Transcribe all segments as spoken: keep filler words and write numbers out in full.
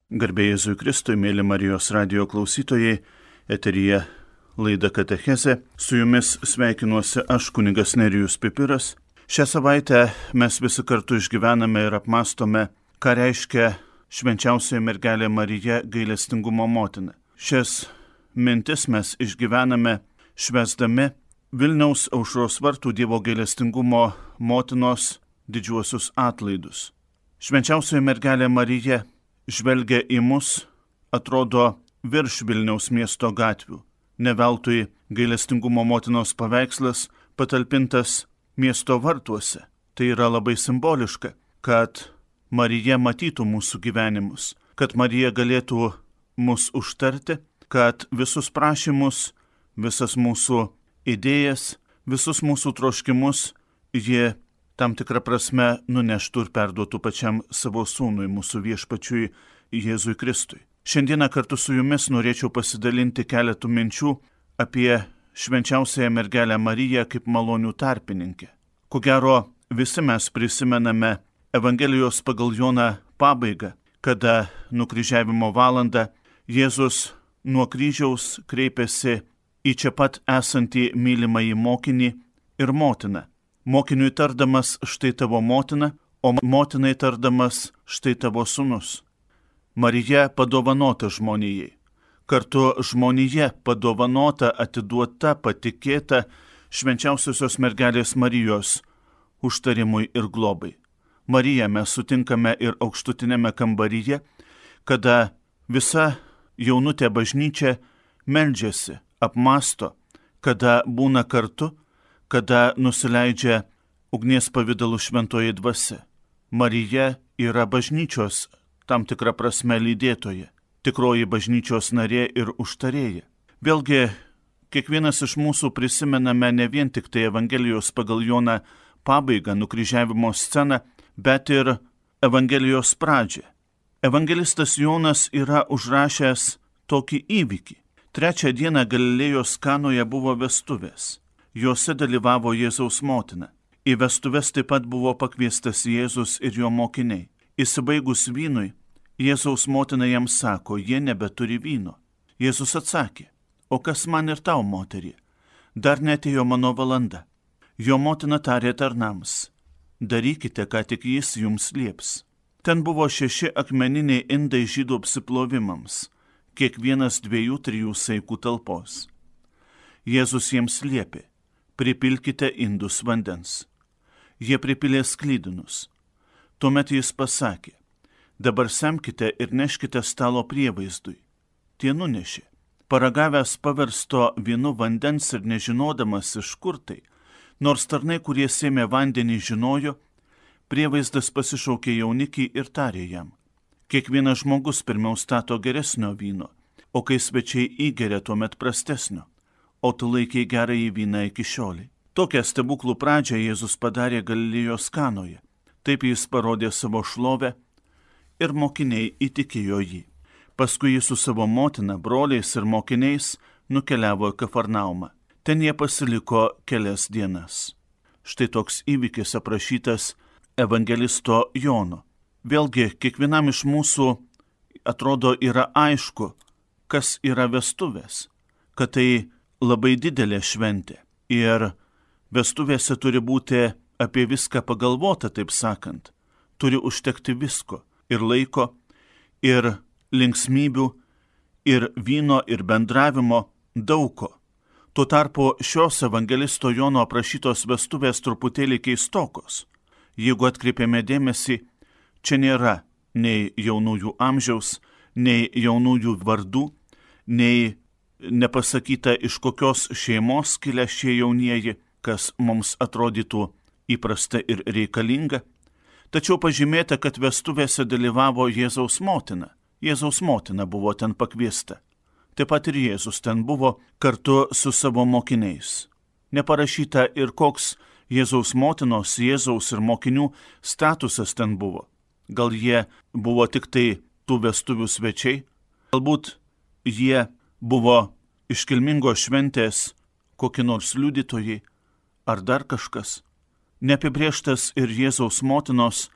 Garbė Jėzui Kristui, mėly Marijos radijo klausytojai, eteryje laida Katechezė. Su jumis sveikinuosi aš, kunigas Nerijus Pipiras. Šią savaitę mes visi kartu išgyvename ir apmastome, ką reiškia švenčiausioji mergelė Marija gailestingumo motina. Šias mintis mes išgyvename švęsdami Vilniaus Aušros vartų Dievo gailestingumo motinos didžiuosius atlaidus. Švenčiausioji mergelė Marija žvelgia į mus, atrodo, virš Vilniaus miesto gatvių. Ne veltui gailestingumo motinos paveikslas patalpintas miesto vartuose. Tai yra labai simboliška, kad Marija matytų mūsų gyvenimus, kad Marija galėtų mus užtarti, kad visus prašymus, visas mūsų idėjas, visus mūsų troškimus ji tam tikrą prasme nuneštų ir perduotų pačiam savo sūnui, mūsų viešpačiui Jėzui Kristui. Šiandieną kartu su jumis norėčiau pasidalinti keletų minčių apie švenčiausiąją mergelę Mariją kaip malonių tarpininkę. Ko gero, visi mes prisimename Evangelijos pagal Joną pabaigą, kada nukryžiavimo valandą Jėzus nuo kryžiaus kreipėsi į čia pat esantį mylimąjį mokinį ir motiną. Mokiniui tardamas štai tavo motina, o motinai tardamas štai tavo sūnus. Marija padovanota žmonijai. Kartu žmonija padovanota, atiduota, patikėta švenčiausiosios mergelės Marijos užtarimui ir globai. Mariją mes sutinkame ir aukštutinėme kambaryje, kada visa jaunutė bažnyčia meldžiasi, apmasto, kada būna kartu, kada nusileidžia ugnies pavidalu šventoji dvasia. Marija yra bažnyčios tam tikrą prasme lydėtoja, tikroji bažnyčios narė ir užtarėja. Vėlgi, kiekvienas iš mūsų prisimename ne vien tik tai Evangelijos pagal Joną pabaigą, nukryžiavimo sceną, bet ir Evangelijos pradžią. Evangelistas Jonas yra užrašęs tokį įvykį. Trečią dieną Galilėjos Kanoje buvo vestuvės. Jose dalyvavo Jėzaus motina. Į vestuves taip pat buvo pakviestas Jėzus ir jo mokiniai. Įsibaigus vynui, Jėzaus motina jam sako, jie nebeturi vyno. Jėzus atsakė, o kas man ir tau, moterie? Dar neatėjo mano valanda. Jo motina tarė tarnams, darykite, ką tik jis jums lieps. Ten buvo šeši akmeniniai indai žydų apsiplovimams, kiekvienas dviejų, trijų saikų talpos. Jėzus jiems liepė, pripilkite indus vandens. Jie pripilė sklydinus. Tuomet jis pasakė, dabar semkite ir neškite stalo prievaizdui. Tie nunešė. Paragavęs paversto vynu vandens ir nežinodamas iš kur tai, nors tarnai, kurie sėmė vandenį, žinojo, prievaizdas pasišaukė jaunikį ir tarė jam. Kiekvienas žmogus pirmiau stato geresnio vyno, o kai svečiai įgeria tuomet prastesnio, o tu laikei gerąjį vyną iki šiolei. Tokią stebuklų pradžią Jėzus padarė Galilėjos Kanoje. Taip jis parodė savo šlovę ir mokiniai įtikėjo jį. Paskui jis su savo motina, broliais ir mokiniais nukeliavo į Kafarnaumą. Ten jie pasiliko kelias dienas. Štai toks įvykis aprašytas evangelisto Jono. Vėlgi, kiekvienam iš mūsų atrodo yra aišku, kas yra vestuvės, kad tai labai didelė šventė. Ir vestuvėse turi būti apie viską pagalvota, taip sakant. Turi užtekti visko ir laiko, ir linksmybių, ir vyno, ir bendravimo, daugo. Tuo tarpu šios evangelisto Jono aprašytos vestuvės truputėlį keistokos. Jeigu atkreipiame dėmesį, čia nėra nei jaunųjų amžiaus, nei jaunųjų vardų, nei nepasakyta iš kokios šeimos kilę šie jaunieji, kas mums atrodytų įprasta ir reikalinga. Tačiau pažymėta, kad vestuvėse dalyvavo Jėzaus motina. Jėzaus motina buvo ten pakviesta. Taip pat ir Jėzus ten buvo kartu su savo mokiniais. Neparašyta ir koks Jėzaus motinos, Jėzaus ir mokinių statusas ten buvo. Gal jie buvo tik tai tų vestuvių svečiai, galbūt jie buvo iškilmingos šventės kokie nors liudytojai ar dar kažkas. Neapibrėžtas ir Jėzaus motinos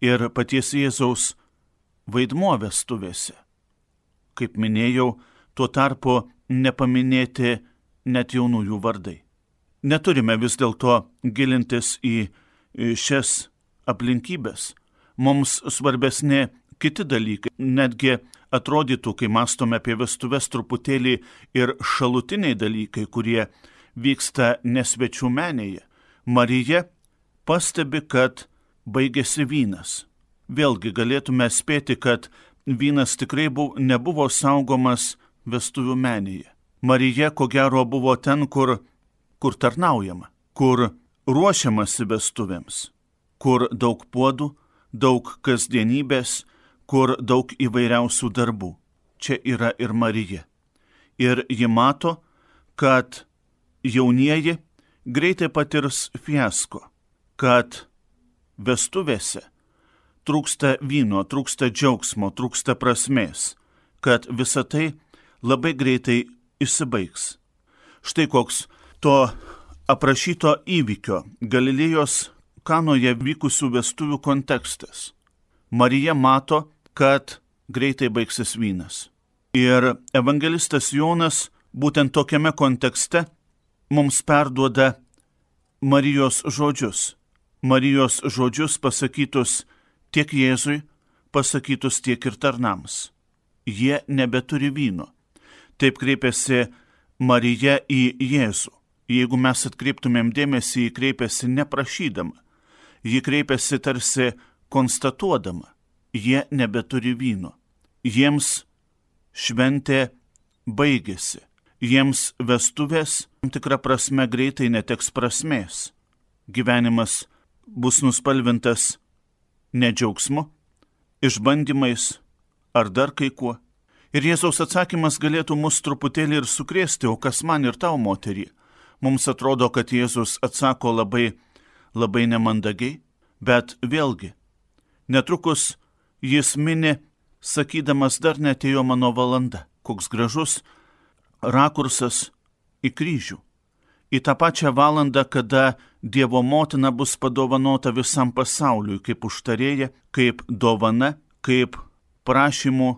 ir paties Jėzaus vaidmuo vestuvėse. Kaip minėjau, tuo tarpu nepaminėti net jaunųjų vardai. Neturime vis dėlto gilintis į šias aplinkybės. Mums svarbesni kiti dalykai. Netgi atrodytų, kai mąstome apie vestuves, truputėlį ir šalutiniai dalykai, kurie vyksta nesvečių menėje. Marija pastebi, kad baigėsi vynas. Vėlgi galėtume spėti, kad vynas tikrai buvo, nebuvo saugomas vestuvių menėje. Marija, ko gero, buvo ten, kur, kur tarnaujama, kur ruošiamasi vestuvėms, kur daug puodų, daug kasdienybės, kur daug įvairiausių darbų. Čia yra ir Marija. Ir ji mato, kad jaunieji greitai patirs fiasko, kad vestuvėse trūksta vyno, trūksta džiaugsmo, trūksta prasmės, kad visa tai labai greitai įsibaigs. Štai koks to aprašyto įvykio Galilėjos Kanoje vykusių vestuvių kontekstas. Marija mato, kad greitai baigsis vynas. Ir evangelistas Jonas būtent tokiame kontekste mums perduoda Marijos žodžius. Marijos žodžius pasakytus tiek Jėzui, pasakytus tiek ir tarnams. Jie nebeturi vyno. Taip kreipiasi Marija į Jėzų. Jeigu mes atkreiptumėm dėmesį, ji kreipiasi neprašydama. Ji kreipiasi tarsi konstatuodama. Jie nebeturi vyno. Jiems šventė baigėsi. Jiems vestuvės tam tikrą prasme greitai neteks prasmės. Gyvenimas bus nuspalvintas ne džiaugsmu, išbandymais ar dar kai kuo. Ir Jėzaus atsakymas galėtų mus truputėlį ir sukrėsti, o kas man ir tau, moterie? Mums atrodo, kad Jėzus atsako labai, labai nemandagiai, bet vėlgi, netrukus jis mini, sakydamas, dar neatėjo mano valanda. Koks gražus rakursas į kryžių. Į tą pačią valandą, kada Dievo motina bus padovanota visam pasauliui, kaip užtarėja, kaip dovana, kaip prašymų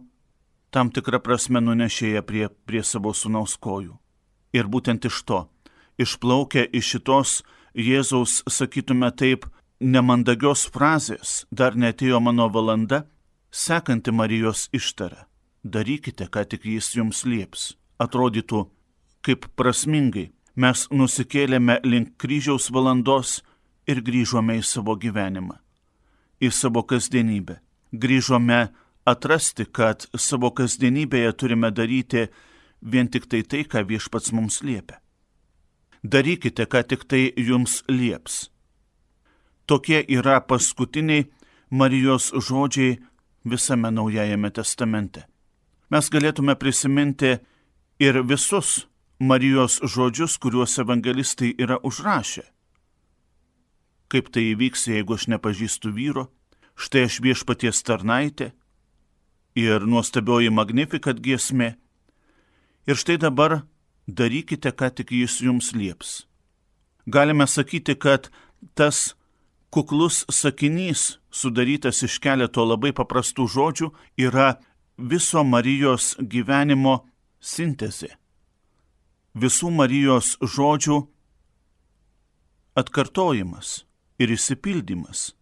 tam tikrą prasme nunešėja prie, prie savo sūnaus kojų. Ir būtent iš to, išplaukia iš šitos Jėzaus, sakytume taip, nemandagios frazės, dar neatėjo mano valanda, sekanti Marijos ištara. Darykite, ką tik jis jums lieps. Atrodytų, kaip prasmingai mes nusikėlėme link kryžiaus valandos ir grįžome į savo gyvenimą, į savo kasdienybę. Grįžome atrasti, kad savo kasdienybėje turime daryti vien tik tai tai, ką Viešpats mums liepia. Darykite, ką tik tai jums lieps. Tokie yra paskutiniai Marijos žodžiai visame Naujajame testamente. Mes galėtume prisiminti ir visus Marijos žodžius, kuriuos evangelistai yra užrašę. Kaip tai įvyks, jeigu aš nepažįstu vyro? Štai aš Viešpaties tarnaitė ir nuostabioji Magnificat giesmė. Ir štai dabar darykite, ką tik jis jums lieps. Galime sakyti, kad tas kuklus sakinys, sudarytas iš keleto labai paprastų žodžių, yra viso Marijos gyvenimo sintezė. Visų Marijos žodžių atkartojimas ir išsipildymas.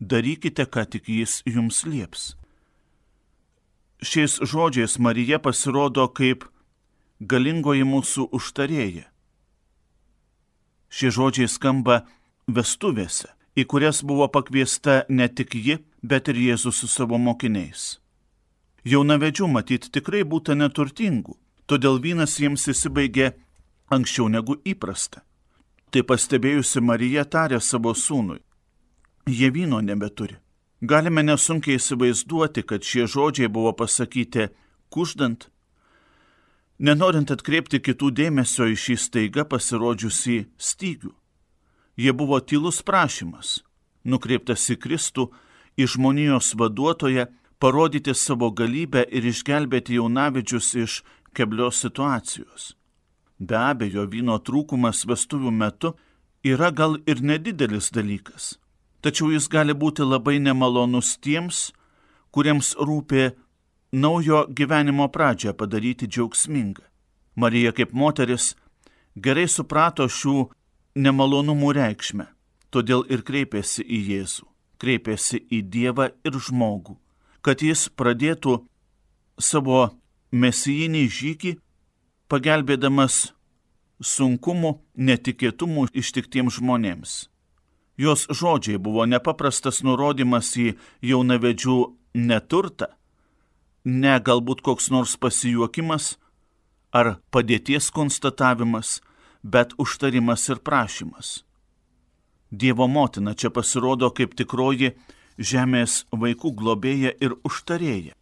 Darykite, ką tik jis jums lieps. Šiais žodžiais Marija pasirodo kaip galingoji mūsų užtarėja. Šie žodžiai skamba vestuvėse, į kurias buvo pakviesta ne tik ji, bet ir Jėzus su savo mokiniais. Jaunavedžių matyt tikrai būta neturtingų, todėl vynas jiems įsibaigė anksčiau negu įprasta. Tai pastebėjusi Marija tarė savo sūnui: jie vyno nebeturi. Galime nesunkiai įsivaizduoti, kad šie žodžiai buvo pasakyti kuždant, nenorint atkreipti kitų dėmesio į šį staiga pasirodžiusį stygių. Jie buvo tylus prašymas, nukreiptas į Kristų, į žmonijos vaduotoją, parodyti savo galybę ir išgelbėti jaunavedžius iš keblios situacijos. Be abejo, vyno trūkumas vestuvių metu yra gal ir nedidelis dalykas, tačiau jis gali būti labai nemalonus tiems, kuriems rūpi naujo gyvenimo pradžią padaryti džiaugsmingą. Marija kaip moteris gerai suprato šių nemalonumų reikšmę, todėl ir kreipėsi į Jėzų, kreipėsi į Dievą ir žmogų, kad jis pradėtų savo mesijinį žygį, pagelbėdamas sunkumų, netikėtumų ištiktiems žmonėms. Jos žodžiai buvo nepaprastas nurodymas į jaunavedžių neturtą, ne galbūt koks nors pasijuokimas ar padėties konstatavimas, bet užtarimas ir prašymas. Dievo motina čia pasirodo kaip tikroji žemės vaikų globėja ir užtarėja.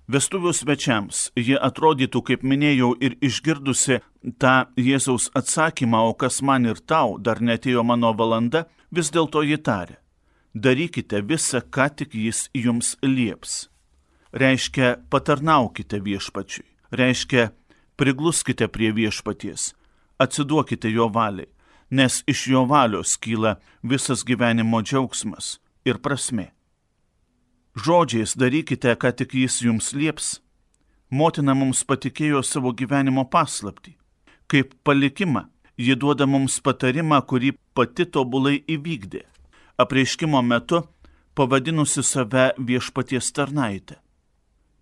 Vestuvių svečiams ji atrodytų, kaip minėjau, ir išgirdusi tą Jėzaus atsakymą, o kas man ir tau, dar netėjo mano valanda, vis dėlto ji tarė: darykite visą, ką tik jis jums lieps. Reiškia, patarnaukite viešpačiui, reiškia, prigluskite prie viešpaties, atsiduokite jo valiai, nes iš jo valios kyla visas gyvenimo džiaugsmas ir prasmė. Žodžiais darykite, ką tik jis jums lieps. Motina mums patikėjo savo gyvenimo paslaptį. Kaip palikimą, ji duoda mums patarimą, kurį pati tobulai įvykdė, apreiškimo metu pavadinusi save viešpaties tarnaitę.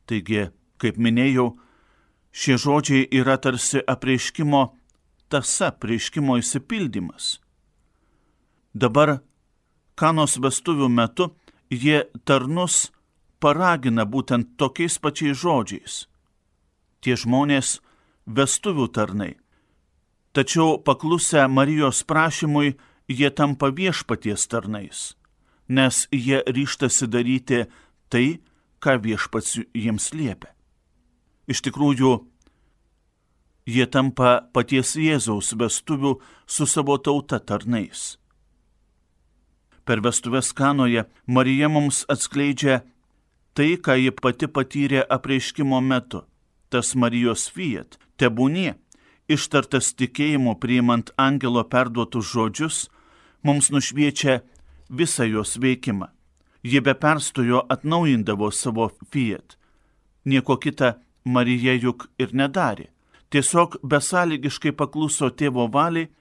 Taigi, kaip minėjau, šie žodžiai yra tarsi apreiškimo tąsa, apreiškimo išsipildymas. Dabar Kanos vestuvių metu jie tarnus paragina būtent tokiais pačiais žodžiais. Tie žmonės vestuvių tarnai. Tačiau paklusę Marijos prašymui, jie tampa viešpaties tarnais, nes jie ryžtasi daryti tai, ką viešpats jiems liepia. Iš tikrųjų, jie tampa paties Jėzaus vestuvių su savo tauta tarnais. Per vestuves Kanoje Marija mums atskleidžia tai, ką ji pati patyrė apreiškimo metu. Tas Marijos fiat, tebūnie, ištartas tikėjimu priimant angelo perduotus žodžius, mums nušviečia visą jos veikimą. Ji be perstojo atnaujindavo savo fiat. Nieko kita Marija juk ir nedarė. Tiesiog besąlygiškai pakluso tėvo valiai,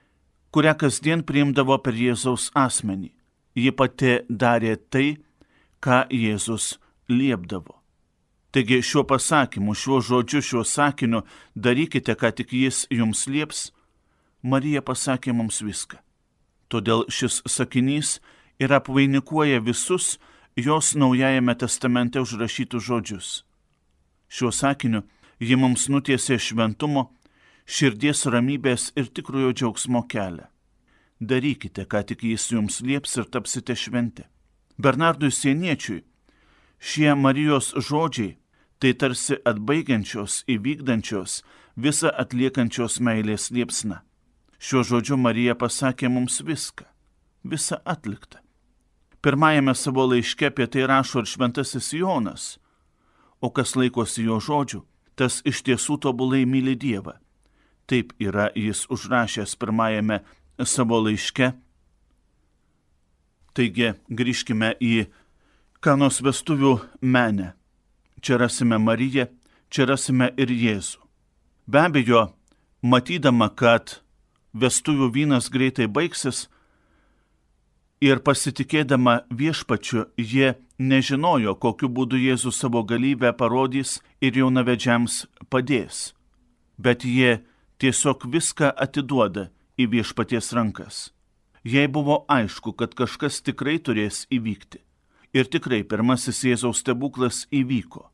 kurią kasdien priimdavo per Jėzaus asmenį. Ji pati darė tai, ką Jėzus liepdavo. Taigi šiuo pasakymu, šiuo žodžiu, šiuo sakiniu, darykite, ką tik jis jums lieps, Marija pasakė mums viską. Todėl šis sakinys ir apvainikuoja visus jos Naujajame testamente užrašytus žodžius. Šiuo sakiniu ji mums nutiesė šventumo, širdies ramybės ir tikrojo džiaugsmo kelią. Darykite, ką tik jis jums lieps ir tapsite šventi. Bernardui Sieniečiui šie Marijos žodžiai tai tarsi atbaigiančios, įvykdančios, visą atliekančios meilės liepsna. Šiuo žodžiu Marija pasakė mums viską, visą atliktą. Pirmajame savo laiške apie tai rašo ir šventasis Jonas, o kas laikosi jo žodžių, tas iš tiesų tobulai myli Dievą. Taip yra jis užrašęs pirmajame savo laiške. Taigi grįžkime į Kanos vestuvių menę. Čia rasime Mariją, čia rasime ir Jėzų. Be abejo, matydama, kad vestuvių vynas greitai baigsis ir pasitikėdama viešpačiu, jie nežinojo, kokiu būdu Jėzus savo galybę parodys ir jaunavedžiams padės. Bet jie tiesiog viską atiduoda į viešpaties rankas. Jai buvo aišku, kad kažkas tikrai turės įvykti. Ir tikrai pirmasis Jėzaus stebuklas įvyko.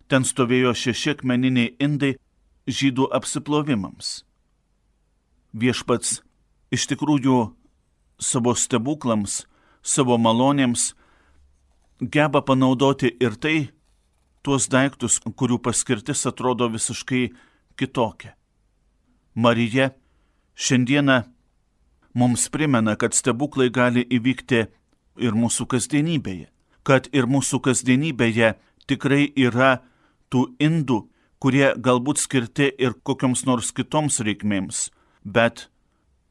Ten stovėjo šeši akmeniniai indai žydų apsiplovimams. Viešpats iš tikrųjų savo stebuklams, savo malonėms geba panaudoti ir tai, tuos daiktus, kurių paskirtis atrodo visiškai kitokia. Marija šiandieną mums primena, kad stebuklai gali įvykti ir mūsų kasdienybėje, kad ir mūsų kasdienybėje tikrai yra tų indų, kurie galbūt skirti ir kokioms nors kitoms reikmėms, bet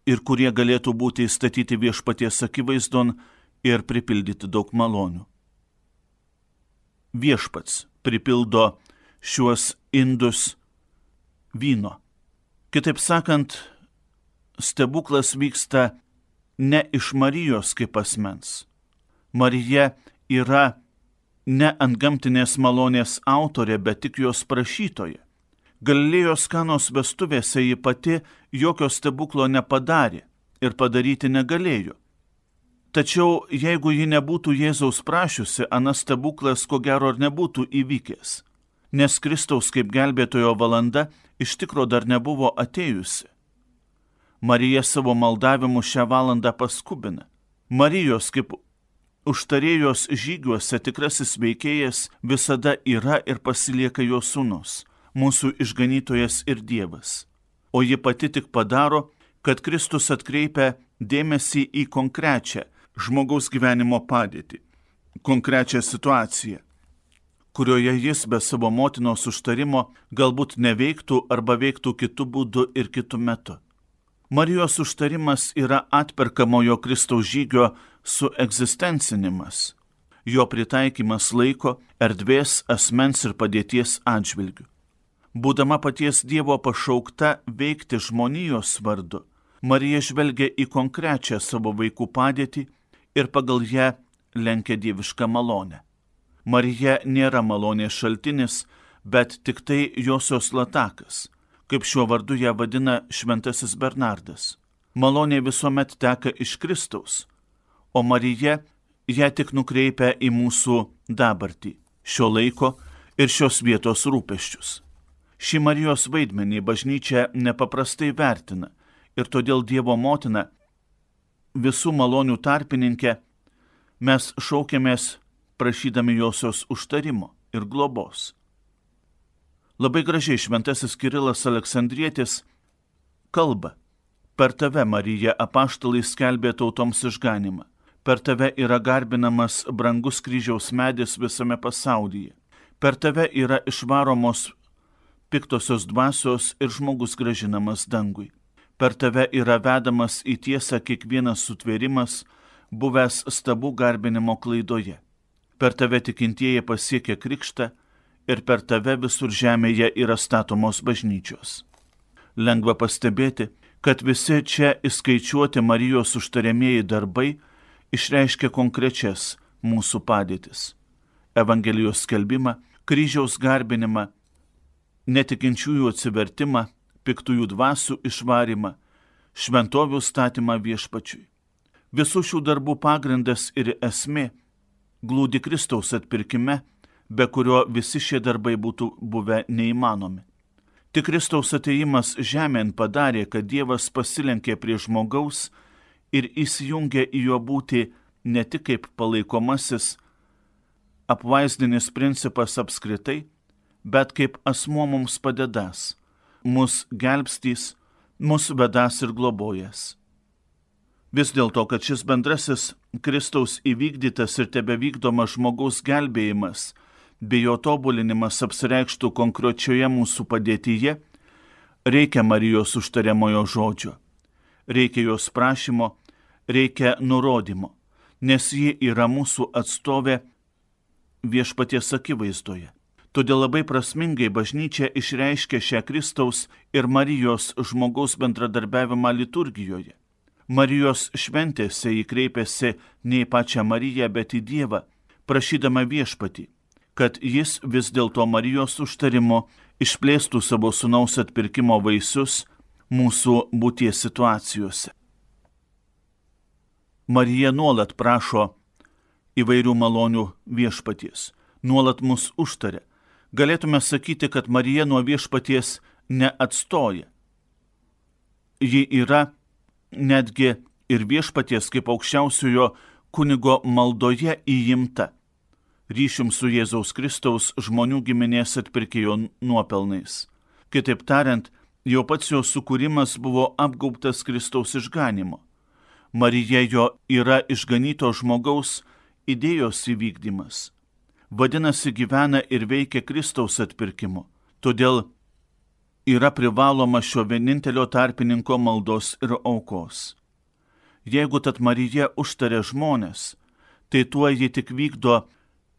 ir kurie galėtų būti įstatyti viešpaties akivaizdon ir pripildyti daug malonių. viešpats pripildo šiuos indus vyno. Kitaip sakant, stebuklas vyksta ne iš Marijos kaip asmens. Marija yra ne antgamtinės malonės autorė, bet tik jos prašytoja. Galilėjos Kanos vestuvėse ji pati jokio stebuklo nepadarė ir padaryti negalėjo. Tačiau jeigu ji nebūtų Jėzaus prašiusi, anas stebuklas ko gero ir nebūtų įvykęs, nes Kristaus kaip gelbėtojo valanda iš tikro dar nebuvo atėjusi. Marija savo maldavimu šią valandą paskubina. Marijos kaip užtarėjos žygiuose tikrasis veikėjas visada yra ir pasilieka jo sūnus, mūsų išganytojas ir Dievas. O ji pati tik padaro, kad Kristus atkreipia dėmesį į konkrečią žmogaus gyvenimo padėtį, konkrečią situaciją, kurioje jis be savo motinos užtarimo galbūt neveiktų arba veiktų kitu būdu ir kitu metu. Marijos užtarimas yra atperkamojo Kristaus žygio suegzistencinimas, jo pritaikymas laiko, erdvės, asmens ir padėties atžvilgių. Būdama paties Dievo pašaukta veikti žmonijos vardu, Marija žvelgia į konkrečią savo vaikų padėtį ir pagal ją lenkia dievišką malonę. Marija nėra malonės šaltinis, bet tik tai josios latakas, kaip šiuo vardu ją vadina šventasis Bernardas. Malonė visuomet teka iš Kristaus, o Marija ją tik nukreipia į mūsų dabartį, šio laiko ir šios vietos rūpesčius. Šį Marijos vaidmenį bažnyčia nepaprastai vertina ir todėl Dievo motina, visų malonių tarpininkė, mes šaukiamės prašydami josios užtarimo ir globos. Labai gražiai šventasis Kirilas Aleksandrietis kalba: per tave, Marija, apaštalai skelbė tautoms išganimą, per tave yra garbinamas brangus kryžiaus medis visame pasaulyje, per tave yra išvaromos piktosios dvasios ir žmogus grąžinamas dangui. Per tave yra vedamas į tiesą kiekvienas sutvėrimas, buvęs stabų garbinimo klaidoje. Per tave tikintieji pasiekia krikštą ir per tave visur žemėje yra statomos bažnyčios. Lengva pastebėti, kad visi čia įskaičiuoti Marijos užtariamieji darbai išreiškia konkrečias mūsų padėtis. Evangelijos skelbimą, kryžiaus garbinimą, netikinčiųjų atsivertimą, piktųjų dvasių išvarimą, šventovių statymą viešpačiui. Visų šių darbų pagrindas ir esmė glūdi Kristaus atpirkime, be kurio visi šie darbai būtų buvę neįmanomi. Tik Kristaus atėjimas žemėn padarė, kad Dievas pasilenkė prie žmogaus ir įsijungė į jo būtį ne tik kaip palaikomasis, apvaizdinis principas apskritai, bet kaip asmuo mums padedas, mus gelbstys, mus vedas ir globojas. Vis dėlto, kad šis bendrasis Kristaus įvykdytas ir tebevykdomas žmogaus gelbėjimas bei jo tobulinimas apsireikštų konkrečioje mūsų padėtyje, reikia Marijos užtariamojo žodžio, reikia jos prašymo, reikia nurodymo, nes ji yra mūsų atstovė viešpaties akivaizdoje. Todėl labai prasmingai bažnyčia išreiškia šią Kristaus ir Marijos žmogaus bendradarbiavimą liturgijoje. Marijos šventėse jį kreipėsi ne į pačią Mariją, bet į Dievą, prašydama viešpatį, kad jis vis dėlto Marijos užtarimo išplėstų savo sūnaus atpirkimo vaisius mūsų būties situacijose. Marija nuolat prašo įvairių malonių viešpaties, nuolat mus užtaria. Galėtume sakyti, kad Marija nuo viešpaties neatstoja. Ji yra netgi ir viešpaties kaip aukščiausiojo kunigo maldoje įimta, ryšium su Jėzaus Kristaus žmonių giminės atpirkėjo nuopelnais. Kitaip tariant, jau pats jo sukūrimas buvo apgaubtas Kristaus išganimo. Marija jo yra išganyto žmogaus idėjos įvykdymas. Vadinasi, gyvena ir veikia Kristaus atpirkimu. Todėl yra privaloma šio vienintelio tarpininko maldos ir aukos. Jeigu tad Marija užtaria žmonės, tai tuo ji tik vykdo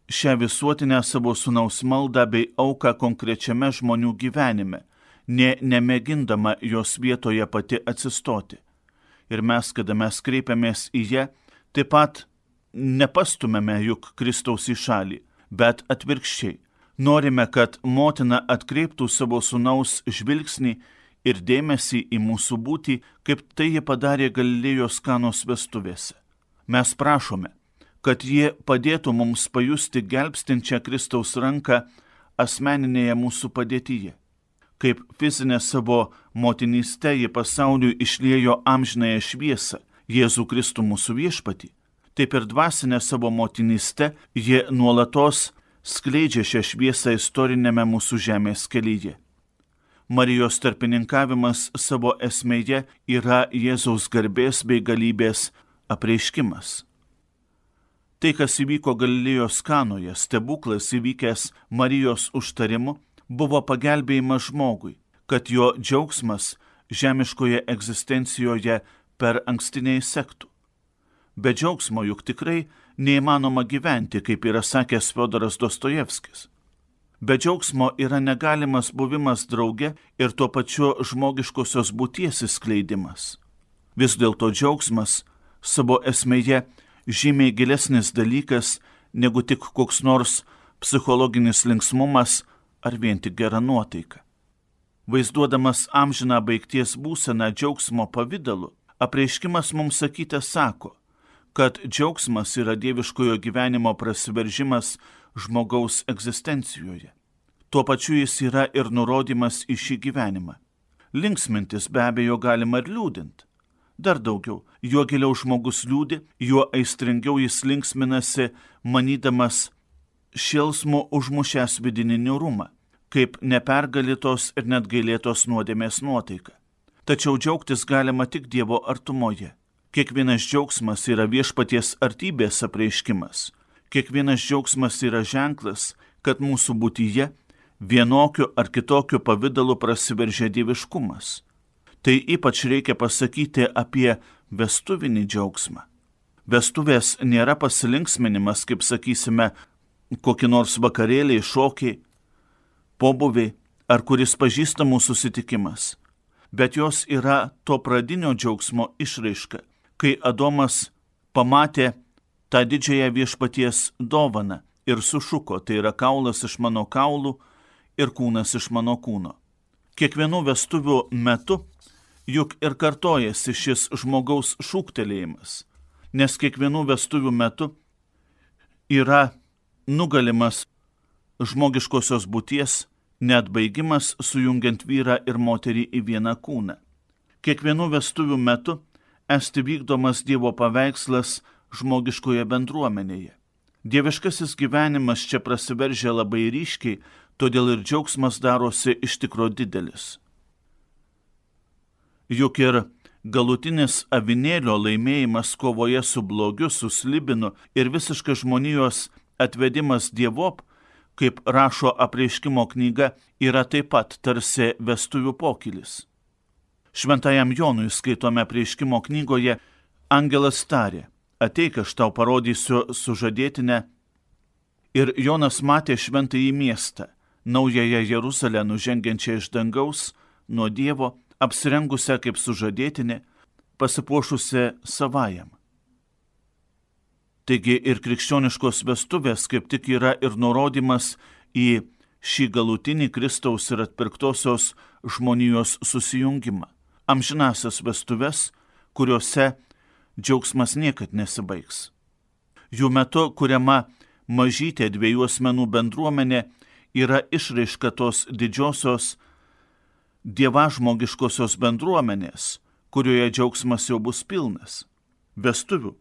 šią visuotinę savo sūnaus maldą bei auką konkrečiame žmonių gyvenime, ne nemėgindama jos vietoje pati atsistoti. Ir mes, kada mes kreipiamės į ją, taip pat nepastumėme juk Kristaus į šalį, bet atvirkščiai. Norime, kad motina atkreiptų savo sūnaus žvilgsnį ir dėmesį į mūsų būtį, kaip tai ji padarė Galilėjos Kanos vestuvėse. Mes prašome, kad jie padėtų mums pajusti gelbstinčią Kristaus ranką asmeninėje mūsų padėtyje. Kaip fizinė savo motinyste ji pasauliui išliejo amžinąją šviesą, Jėzų Kristų mūsų viešpatį, taip ir dvasinė savo motinyste jie nuolatos skleidžia šią šviesą istorinėme mūsų žemės kelyje. Marijos tarpininkavimas savo esmėje yra Jėzaus garbės bei galybės apreiškimas. Tai, kas įvyko Galilėjos Kanoje, stebuklas įvykęs Marijos užtarimu, buvo pagelbėjimas žmogui, kad jo džiaugsmas žemiškoje egzistencijoje per anksti neįsektų. Be džiaugsmo juk tikrai neįmanoma gyventi, kaip yra sakęs Fiodoras Dostojevskis. Be džiaugsmo yra negalimas buvimas drauge ir tuo pačiu žmogiškosios būties įskleidimas. Vis dėlto džiaugsmas savo esmėje žymiai gilesnis dalykas negu tik koks nors psichologinis linksmumas ar vien tik gera nuotaika. Vaizduodamas amžiną baigties būseną džiaugsmo pavidalu, apreiškimas mums sakyte sako, kad džiaugsmas yra dieviškojo gyvenimo prasiveržimas žmogaus egzistencijoje. Tuo pačiu jis yra ir nurodymas į šį gyvenimą. Linksmintis be abejo galima ir liūdint. Dar daugiau, juo giliau žmogus liūdi, juo aistringiau jis linksminasi, manydamas šėlsmu užmušęs vidinį niūrumą, kaip nepergalytos ir net gailėtos nuodėmės nuotaika. Tačiau džiaugtis galima tik Dievo artumoje. Kiekvienas džiaugsmas yra viešpaties artybės apreiškimas. Kiekvienas džiaugsmas yra ženklas, kad mūsų būtyje vienokiu ar kitokiu pavidalu prasiveržia dieviškumas. Tai ypač reikia pasakyti apie vestuvinį džiaugsmą. Vestuvės nėra pasilinksminimas, kaip sakysime, kokį nors vakarėlį, šokiai, pobūviai ar kuris pažįstamų susitikimas, bet jos yra to pradinio džiaugsmo išraiška, kai Adomas pamatė tą didžiąją viešpaties dovaną ir sušuko, tai yra kaulas iš mano kaulų ir kūnas iš mano kūno. Kiekvienų vestuvių metu juk ir kartojasi šis žmogaus šūktelėjimas, nes kiekvienų vestuvių metu yra nugalimas žmogiškosios būties neatbaigimas sujungiant vyrą ir moterį į vieną kūną. Kiekvienų vestuvių metu esti vykdomas Dievo paveikslas žmogiškoje bendruomenėje. Dieviškasis gyvenimas čia prasiveržia labai ryškiai, todėl ir džiaugsmas darosi iš tikro didelis. Juk ir galutinis avinėlio laimėjimas kovoje su blogiu, su slibinu ir visiškas žmonijos atvedimas Dievop, kaip rašo apreiškimo knyga, yra taip pat tarsi vestuvių pokylis. Šventajam Jonui skaitome apreiškimo knygoje, angelas tarė, ateik, aš tau parodysiu sužadėtinę. Ir Jonas matė šventąjį miestą, naująją Jeruzalę nužengiančią iš dangaus, nuo Dievo, apsirengusią kaip sužadėtinė, pasipuošusią savajam. Taigi ir krikščioniškos vestuvės kaip tik yra ir nurodymas į šį galutinį Kristaus ir atpirktosios žmonijos susijungimą. Amžinasias vestuves, kuriuose džiaugsmas niekad nesibaigs. Jų metu kuriama mažytė dviejų asmenų bendruomenė yra išraiška tos didžiosios dievažmogiškosios bendruomenės, kurioje džiaugsmas jau bus pilnas. Vestuvių,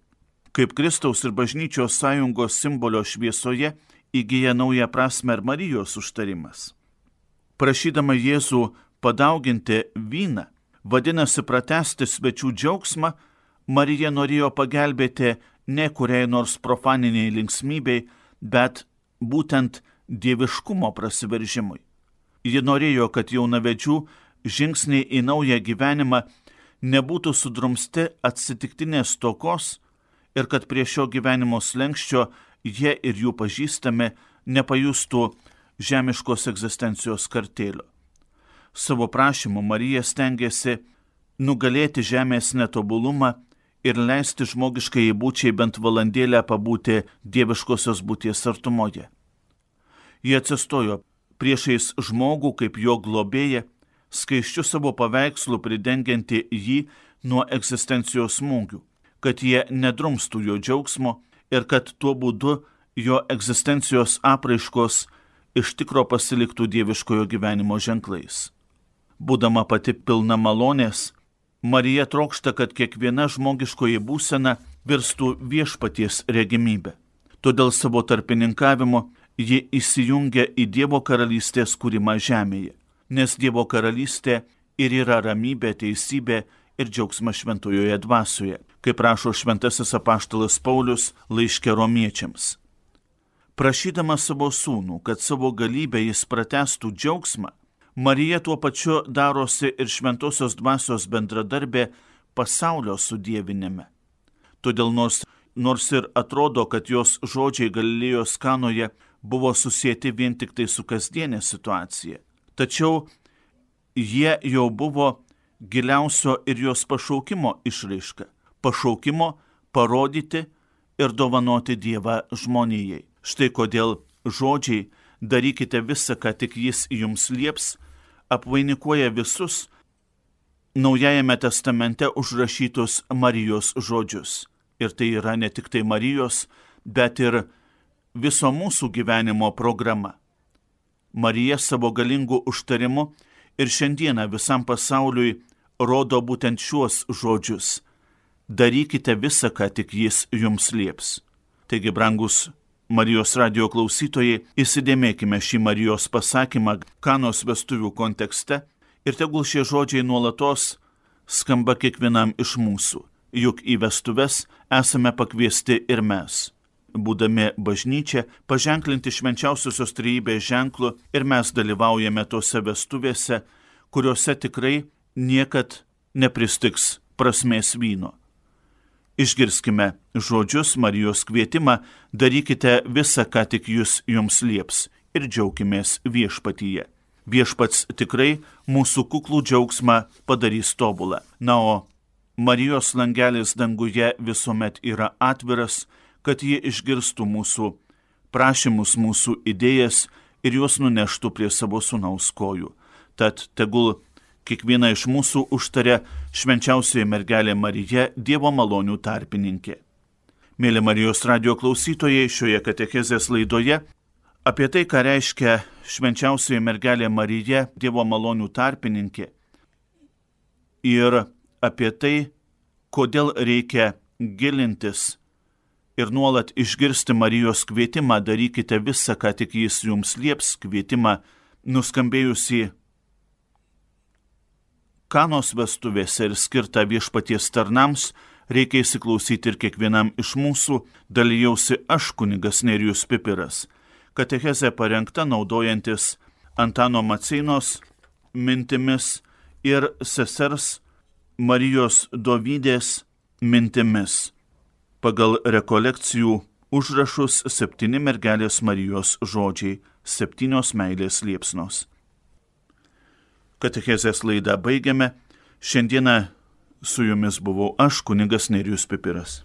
kaip Kristaus ir bažnyčios sąjungos simbolio šviesoje, įgyja naują prasmę ir Marijos užtarimas. Prašydama Jėzų padauginti vyną, vadinasi pratęsti svečių džiaugsmą, Marija norėjo pagelbėti ne kuriai nors profaniniai linksmybei, bet būtent dieviškumo prasiveržimui. Ji norėjo, kad jaunavedžių žingsniai į naują gyvenimą nebūtų sudrumsti atsitiktinės stokos ir kad prie šio gyvenimo slenkščio jie ir jų pažįstami nepajustų žemiškos egzistencijos kartėlio. Savo prašymu Marija stengiasi nugalėti žemės netobulumą ir leisti žmogiškai būčiai bent valandėlę pabūti dieviškosios būties artumoje. Jie atsistojo priešais žmogų kaip jo globėja, skaisčiu savo paveikslu pridengianti jį nuo egzistencijos smūgių, kad jie nedrumstų jo džiaugsmo ir kad tuo būdu jo egzistencijos apraiškos iš tikro pasiliktų dieviškojo gyvenimo ženklais. Būdama pati pilna malonės, Marija trokšta, kad kiekviena žmogiškoji būsena virstų viešpaties regimybė. Todėl savo tarpininkavimu ji įsijungia į Dievo karalystės kūrimą žemėje, nes Dievo karalystė ir yra ramybė, teisybė ir džiaugsmas šventojoje dvasioje, kaip rašo šventasis apaštalas Paulius laiške romiečiams. Prašydama savo sūnų, kad savo galybę jis pratęstų džiaugsmą, Marija tuo pačiu darosi ir šventosios dvasios bendradarbė pasaulio sudievinime. Todėl nors, nors ir atrodo, kad jos žodžiai Galilėjos Kanoje buvo susieti vien tik tai su kasdienė situacija, tačiau jie jau buvo giliausio ir jos pašaukimo išraiška, pašaukimo parodyti ir dovanoti Dievą žmonijai. Štai kodėl žodžiai darykite visą, ką tik jis jums lieps, apvainikuoja visus Naujajame testamente užrašytus Marijos žodžius. Ir tai yra ne tik tai Marijos, bet ir viso mūsų gyvenimo programa. Marija savo galingų užtarimu ir šiandieną visam pasauliui rodo būtent šiuos žodžius. Darykite visą, ką tik jis jums lieps. Taigi, brangus Marijos radijo klausytojai, įsidėmėkime šį Marijos pasakymą Kanos vestuvių kontekste ir tegul šie žodžiai nuolatos skamba kiekvienam iš mūsų, juk į vestuves esame pakviesti ir mes. Būdami bažnyčia, paženklinti švenčiausiosios trejybės ženklu ir mes dalyvaujame tose vestuvėse, kuriuose tikrai niekad nepristigs prasmės vyno. Išgirskime žodžius Marijos kvietimą, darykite visą, ką tik jūs jums lieps ir džiaukimės viešpatyje. Viešpats tikrai mūsų kuklų džiaugsmą padarys tobulą. Na, o Marijos langelis danguje visuomet yra atviras, kad ji išgirstų mūsų prašymus, mūsų idėjas ir juos nuneštų prie savo sūnaus kojų. Tad tegul kiekviena iš mūsų užtaria švenčiausioji mergelė Marija, Dievo malonių tarpininkė. Mėly Marijos radijo klausytojai, šioje katechezės laidoje apie tai, ką reiškia švenčiausioji mergelė Marija, Dievo malonių tarpininkė, ir apie tai, kodėl reikia gilintis ir nuolat išgirsti Marijos kvietimą, darykite visą, ką tik jis jums lieps, kvietimą nuskambėjusį Kanos vestuvėse ir skirtą viešpaties tarnams, reikia įsiklausyti ir kiekvienam iš mūsų, dalijausi aš, kunigas Nerijus Pipiras. Katechezė parengta naudojantis Antano Maceinos mintimis ir sesers Marijos Dovydės mintimis. Pagal rekolekcijų užrašus septyni mergelės Marijos žodžiai, septynios meilės liepsnos. Katechezės laidą baigiame. Šiandieną su jumis buvau aš, kunigas Nerijus Pipiras.